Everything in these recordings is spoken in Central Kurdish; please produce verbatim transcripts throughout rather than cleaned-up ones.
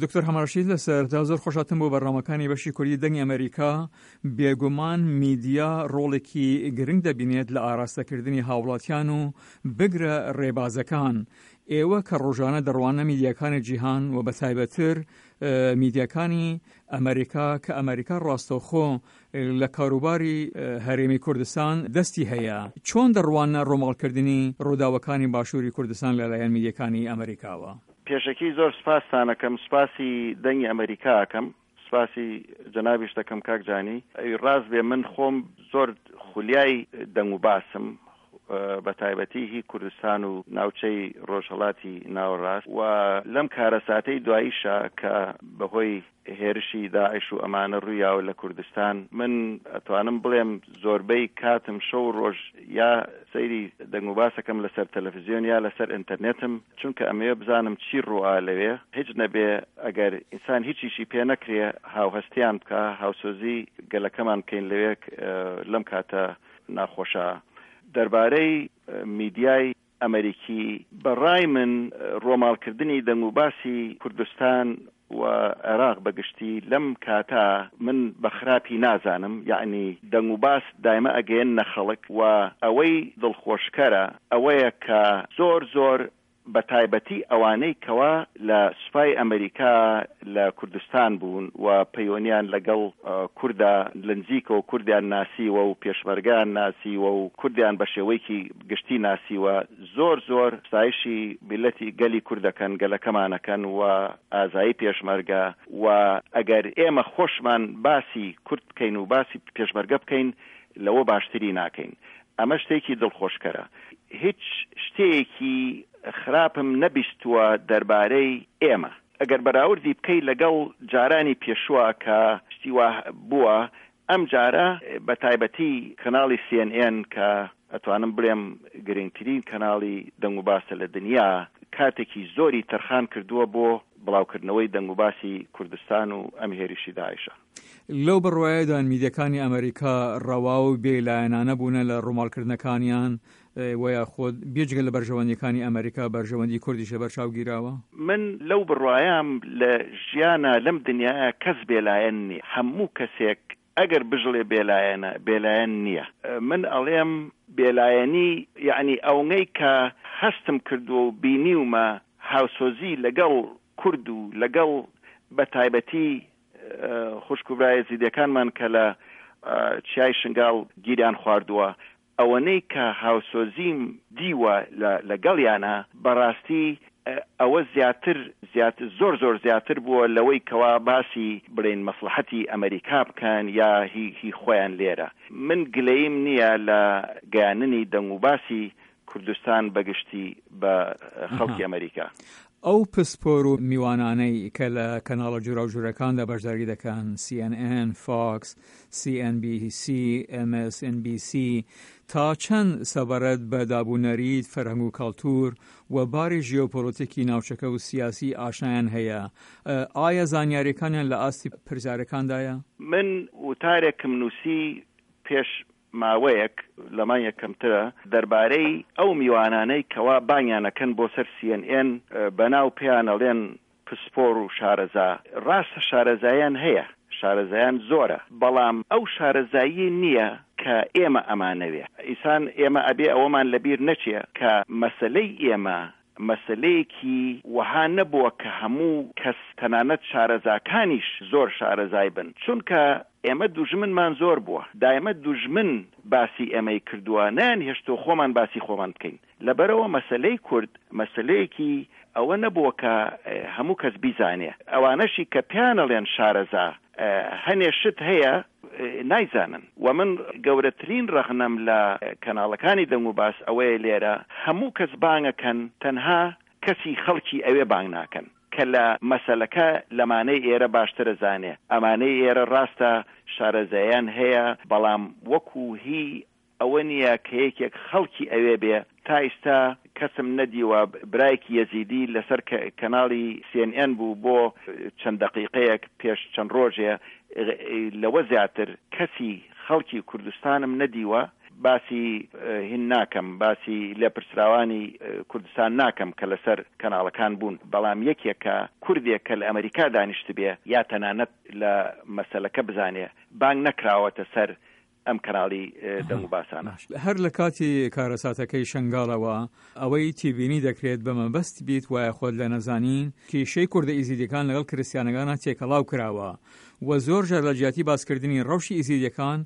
دکتۆر حەمەڕەشید، لە سەرەتا زۆر خۆشهاتن بۆ بەرنامەکانی بەشی کوردی دەنگی ئەمەریکا. بێگومان میدیا ڕۆڵێکی گرنگ دەبینێت لە ئاراستەکردنی هاوڵاتیان و بگرە ڕێبازەکان. ئێوە کە ڕۆژانە دەڕوانە میدیاکانی جیهان و بە تایبەتر میدیاکانی ئەمریکا، کە ئەمریکا ڕاستەوخۆ لە کاروباری هەرێمی کوردستان دەستی هەیە، چۆن دەڕوانە ڕۆماڵکردنی ڕووداوەکانی باشووری کوردستان لەلایەن میدیاکانی ئەمریکاوە؟ پێشەکی زۆر سپاستان ئەکەم، سپاسی دەنگی ئەمریکا ئەکەم، سپاسی جەنابیش دەکەم کاک جانی. ڕاست بێ من خۆم زۆر خولیای دەنگ و باسم، بە تایبەتی هی کوردستان و ناوچەی ڕۆژهەڵاتی ناوەڕاست، و لەم کارەساتەی دواییشا کە بەهۆی هێرشی داعش و ئەمانە ڕوویاوە لە کوردستان، من ئەتوانم بڵێم زۆربەی کاتم شەو و ڕۆژ یا سەیری دەنگ و باسەکەم لەسەر تەلەفزیۆن یا لەسەر ئینتەرنێتم، چونکە ئەمەوێ بزانم چی ڕووئا لەوێ. هیچ نەبێ ئەگەر ئینسان هیچیشی پێ نەکرێ هاوهەستیان بکا، هاوسۆزی گەلەکەمان بکەین لەوێ لەم کاتە ناخۆشە. دەربارەی میدیای ئەمریکی، بە ڕای من ڕۆماڵکردنی دەنگ و باسی کوردستان و عێراق بە گشتی لەم کاتە من بە خراپی نازانم، یەعنی دەنگ و باس دایمە ئەگەیەننە خەڵک و ئەوەی دڵخۆشکەرە ئەوەیە کە زۆر زۆر بە تایبەتی ئەوانەی کەوا لە سوپای ئەمریکا لە کوردستان بوون و پەیوەنیان لەگەڵ کوردا لە نزیکەوە کوردیان ناسیوە و پێشمەرگەیان ناسیوە و کوردیان بە شێوەیەکی گشتی ناسیوە، زۆر زۆر ستایشی میللەتی گەلی کورد دەکەن، گەلەکەمان ئەکەن و ئازایی پێشمەرگە. و ئەگەر ئێمە خۆشمان باسی کورد بکەین و باسی پێشمەرگە بکەین لەوە باشتری ناکەین. ئەمە شتێکی دڵخۆشکەرە. هیچ شتێکی خراپم نەبیستووە دەربارەی ئێمە. ئەگەر بەراوردی بکەی لەگەڵ جارانی پێشووە کە شتی وا بووە، ئەم جارە بە تایبەتی کەناڵی سی ئێن ئێن کە ئەتوانم بڵێم گرنگترین کەناڵی دەنگوباسە لە دنیا، کاتێکی زۆری تەرخان کردووە بۆ بڵاوکردنەوەی دەنگوباسی کوردستان و ئەم هێرشی داعشە. لەو بڕوایەدان میدیاکانی ئەمریکا ڕەوا و بێلایەنانە بوونە لە ڕووماڵکردنەکانیان و یاخود بێجگە لە بەرژەوەندیەکانی ئەمریکا بەرژەوەندی کوردیش لەبەرچاو گیراوە؟ من لەو بڕوایام لە ژیانا لەم دنیایە کەس بێلایەن نیە، هەموو کەسێک ئەگەر بژڵێ بێلایەنە، بێلایەن نیە. من ئەڵێم بێلایەنی یەعنی ئەونەی کە هەستم کردووە و بینیومە هاوسۆزی لەگەڵ کورد و لەگەڵ بە تایبەتی خوشک و برا ئێزیدیەکانمان کە لە چیای شنگاڵ گیریان خواردووە، ئەوەنەی کە هاوسۆزیم دیوە لەگەڵیانا بەڕاستی ئەوە زیاتر زیاتر زۆر زۆر زیاتر بووە لەوەی کەوا باسی بڵێین مەسڵەحەتی ئەمەریکا بکەن یا هی هی خۆیان لێرە. من گلەییم نییە لە گەیاندنی دەنگوباسی کوردستان بەگشتی بە خەڵکی ئەمەریکا. ئەو پسپۆر و میوانانەی کە لە کەناڵە جۆراوجۆرەکاندا بەشداری دەکەن، سی ئێن ئێن، فاکس، سی ئێن بی سی، ئێم ئێس ئێن بی سی، تا چەند سەبارەت بە دابونەریت، فەرهەنگ و کەڵتور و باری ژیۆپۆلۆتیکی ناوچەکە و سیاسی ئاشنایان هەیە؟ ئایا زانیاریەکانیان لە ئاستی پرسیارەکاندایە؟ من وتارێکم نووسی پێش ماوەیەک، لە مانگێک کەمترە، دەربارەی ئەو میوانانەی کەوا بانگیان ئەکەن بۆ سەر سی ئێن ئێن، بەناو پێیان ئەڵێن پسپۆر و شارەزا. ڕاستە شارەزاییان هەیە، شارەزایان زۆرە، بەڵام ئەو شارەزاییە نییە کە ئێمە ئەمانەوێ. ئیسان ئێمە ئەبێ ئەوەمان لەبیر نەچێ کە مەسەلەی ئێمە مەسەلەیەکی وەها نەبووە کە هەموو کەس تەنانەت شارەزاکانیش زۆر شارەزای بن، چونکە ئێمە دوژمنمان زۆر بووە، دایمە دوژمن باسی ئێمەی کردووە، نەیانهێشتووە خۆمان باسی خۆمان بکەین، لەبەرئەوە مەسەلەی کورد مەسەلەیەکی ئەوە نەبووە کە هەموو کەس بیزانێ، ئەوانەشی کە پێیان ئەڵێن شارەزا هەنێ شت هەیە نایزانن و من گەورەترین ڕەخنەم لە کەناڵەکانی دەنگوباس ئەوەیە لێرە هەموو کەس بانگەکەن تەنها کەسی خەڵکی ئەوێ بانگ ناکەن کە لە مەسەلەکە لەمانەی ئێرە باشترە زانێ ئەمانەی ئێرە ڕاستە شارەزایان هەیە بەڵام وەکو هی ئەوە نیە کە یەکێک خەڵکی ئەوێ بێ، تا ئیستا کەسم نەدیوە برایەکی یەزیدی لەسەر کەناڵی سی ئێن ئێن بوو بۆ چەند دەقیقەیەک پێش چەند ڕۆژێ، لەوە زیاتر کەسی خەڵکی کوردستانم نەدیوە باسی هین ناکەم، باسی لێپرسراوانی کوردستان ناکەم کە لەسەر کەناڵەکان بوون، بەڵام یەکێکە کوردێک کە لە ئەمریکا دانیشتبێ یا تەنانەت لە مەسەلەکە بزانێ بانگ نەکراوەتە سەر ئەم کەناڵی دەنگ و باسانە. هەر لە کاتی کارەساتەکەی شنگالەوە ئەوەی تێبینی دەکرێت بە مەبەست بیت وایە خۆت لە نەزانین کێشەی کوردە ئیزیدیەکان لەگەڵ کریسیانەکانە تێکەڵاو کراوە و زۆر جار لە جیاتی باسکردنی ڕەوشی ئیزیدیەکان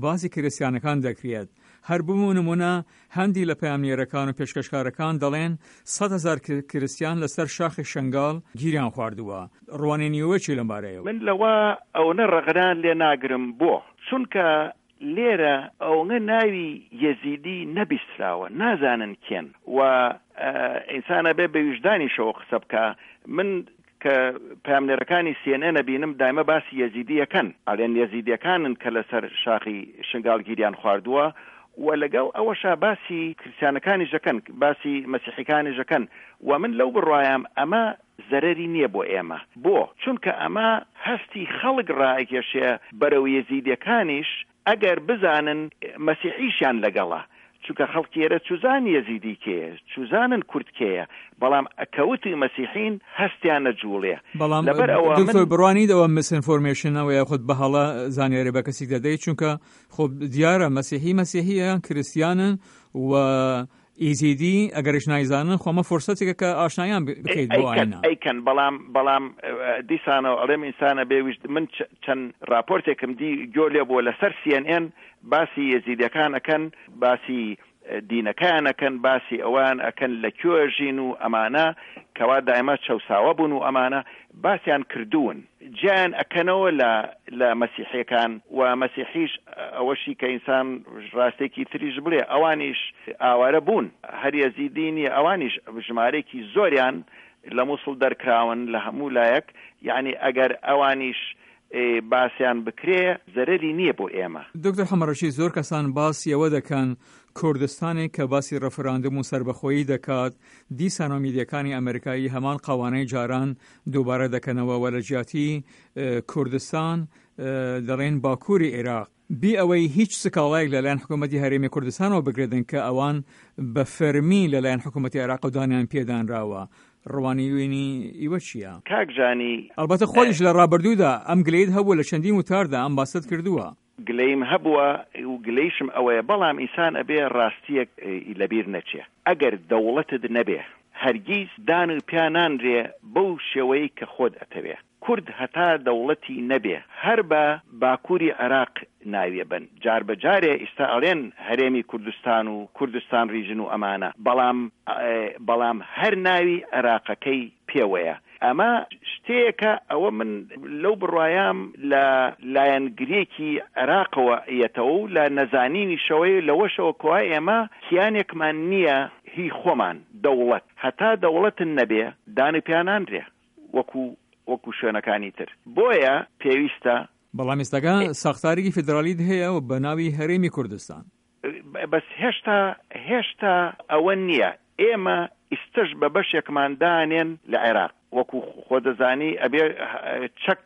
باسی کریسیانەکان دەکرێت. هەر بمو نمونە هەندی لە پەیامنێرەکان و پێشکەشکارەکان دەڵێن سەد هەزار کریسیان لەسەر شاخی شنگال گیریان خواردووە. ڕوانینیەوە چی لەم بارەیەوە؟ من لەوە ئەوەنە ڕەغنان لێ ناگرم بۆ، چونکە لێرە ئەوەنە ناوی یەزیدی نەبیستراوە، نازانن کێن و ئینسانە بێ بە ویژدانیشەوە قسە بکە. من کە پەیامنێرەکانی سی ئێن ئێن ئەبینم دایمە باسی یەزیدیەکەن، ئەڵێن یەزیدیەکانن کە لەسەر شاخی شنگال گیریان خواردووە و لەگەڵ ئەوەشا باسی کریسیانەکانیش دەکەن، باسی مەسیحیەکانیش دەکەن و من لەو بڕوایم ئەمە زەرەری نییە بۆ ئێمە. بۆ؟ چونکە ئەمە هەستی خەڵک ڕائەکێشێ بەرەو یەزیدیەکانیش ئەگەر بزانن مەسیحیشیان لەگەڵە، چونکە خەڵکی ئێرە چوزان یەزیدی کێیە، چوزانن کورد کێیە، بەڵام ئەکەوتی مەسیحین هەستیان نەجوڵێ. بەڵام لەبەر ئەوە من دکتۆر بڕوانیدەوە misinformation ەوە یاخود بە هەڵە زانیاری بە کەسێک دەدەیت، چونکە خۆ دیارە مەسیحی مەسیحیە کریسیانن و ئیزیدی ئەگەرش نایزانن خۆمە فرسەتێکە کە ئاشنایان بکەیت بۆ ئاینە. ئەیکەن، بەڵام بەڵام دیسانەوە ئەڵێم ئینسانە بێویست. من چەند راپۆرتێکم دی گۆ لێ بووە لەسەر سی ئێن ئێن باسی یەزیدیەکان ئەکەن، باسی دینەکەیان ئەکەن، باسی ئەوان ئەکەن لە کوێ ژین و ئەمانە کەوا دایمە چەساوە بوون و ئەمانە باسیان کردوون، جیان ئەکەنەوە لە لە مەسیحیەکان و مەسیحیش ئەوەشی کە ئینسان ڕاستێکی تریش بڵێ ئەوانیش ئاوارە بوون، هەر یەزیدی نییە، ئەوانیش ژمارەیەکی زۆریان لە مووسڵ دەرکراون لە هەموو لایەک. یعنی ئەگەر ئەوانیش باسیان بکرێ زەرەری نییە بۆ ئێمە. دکتۆر حەمەڕەشید، زۆر کەسان باسی ئەوە دەکەن کوردستانێک کە باسی ڕەفراندوم و سەربەخۆیی دەکات، دیسانەوە میدیەکانی ئەمریکایی هەمان قەوانەی جاران دووبارە دەکەنەوە و لە جیاتی کوردستان دەڵێن باکووری عێراق، بی ئەوەی هیچ سکاڵایەک لەلایەن حکوومەتی هەرێمی کوردستانەوە بگرێتن کە ئەوان بە فەرمی لەلایەن حکوومەتی عێراق دانیان پێدانراوە. ڕوانیوینی ئیوە چییە؟ کاک جانی، ئەلبەتە خۆیش لە ڕابردوودا ئەم گلەیت هەبوو، لە چەندین وتاردا ئەم باست کردووە. گلەیم هەبووە و گلەیشم ئەوەیە، بەڵام ئینسان ئەبێ ڕاستیەک لەبیر نەچێ. ئەگەر دەوڵەتت نەبێ هەرگیز دان و پیانانرێ بەو شێوەیە کە خۆت ئەتەوێ. کورد هەتا دەوڵەتی نەبێ هەر بە باکووری عێراق ناویە بن، جار بە جارێ ئیستا ئەڵێن هەرێمی کوردستان و کوردستان region و ئەمانە، بەڵام بەڵام هەر ناوی عێراقەکەی پێوەیە. ئەمە شتەیەکە ئەوە من لەو بڕوایام لە لایەنگرێکی عێراقەوە یەتەوە و لە نەزانینیشەوەی لەوەشەوە کۆوا ئێمە کیانێکمان نییە هی خۆمان دەوڵەت. هەتا دەوڵەتن نەبێ دان و پیانانرێ وەکو وەکو شوێنەکانی تر. بۆیە پێویستە. بەڵام ئێستاکە ساختارێکی فیدرالیت هەیە و بە ناوی هەرێمی کوردستان. بەس هێشتا هێشتا ئەوە نییە. ئێمە ئیستش بە بەشێکمان دانێن لە عێراق، وەکو خۆ دەزانی ئەبێ چەک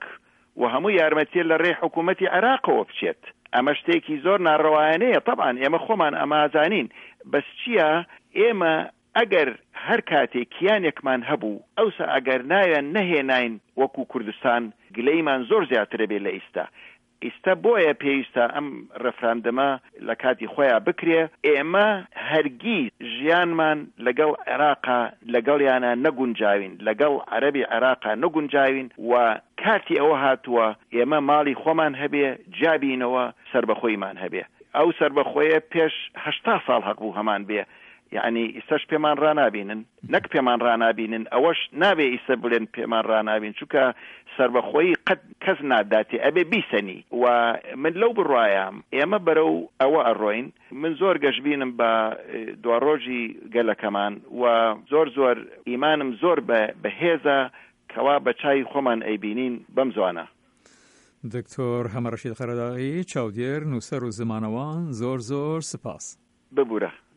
و هەموو یارمەتیە لە ڕێی حکوومەتی عێراقەوە بچێت. ئەمە شتێکی زۆر ناڕەوایانەیە، طبعا ئێمە خۆمان ئەمازانین. بەس چییە؟ ئێمە ئەگەر هەر کاتێک کیانێکمان هەبوو، ئەوسا ئەگەر ناویان نەهێناین وەکو کوردستان، گلەیمان زۆر زیاترە بێ لە ئیستا. ئیستا بۆیە پێویستە ئەم ڕێفراندەمە لە کاتی خۆیان بکرێ. ئێمە هەرگیز ژیانمان لەگەڵ عێراقا لەگەڵیانە نەگونجاوین، لەگەڵ عەرەبی عێراقا نەگونجاوین و کاتی ئەوە هاتووە ئێمە ماڵی خۆمان هەبێ، جابینەوە سربەخۆیمان هەبێ. ئەو سربەخۆیە پێش هەشتا ساڵ هەق بوو هەمان بێ، یعنی ئیستاش پێمان ڕنابینن، نەک پێمان ڕنابینن، ئەوەش نابێ ئیستا بڵێن پێمان ڕنابین، چونکە سربەخۆیی قەت کەس ناداتێ، ئەبێ بیسەنی. و من لەو بڕوایم ئێمە بەرەو ئەوە ئەڕۆین. من زۆر گەشبینم بە دواڕۆژی گەلەکەمان و زۆر زۆر ئیمانم زۆر بەهێزە کەوا بە چای خۆمان ئەیبینین بەم زوانە. دکتۆر حەمەڕەشید قەرەداغی، چاودێر، نووسەر و زمانەوان، زۆر زۆر سپاس. ببوورە.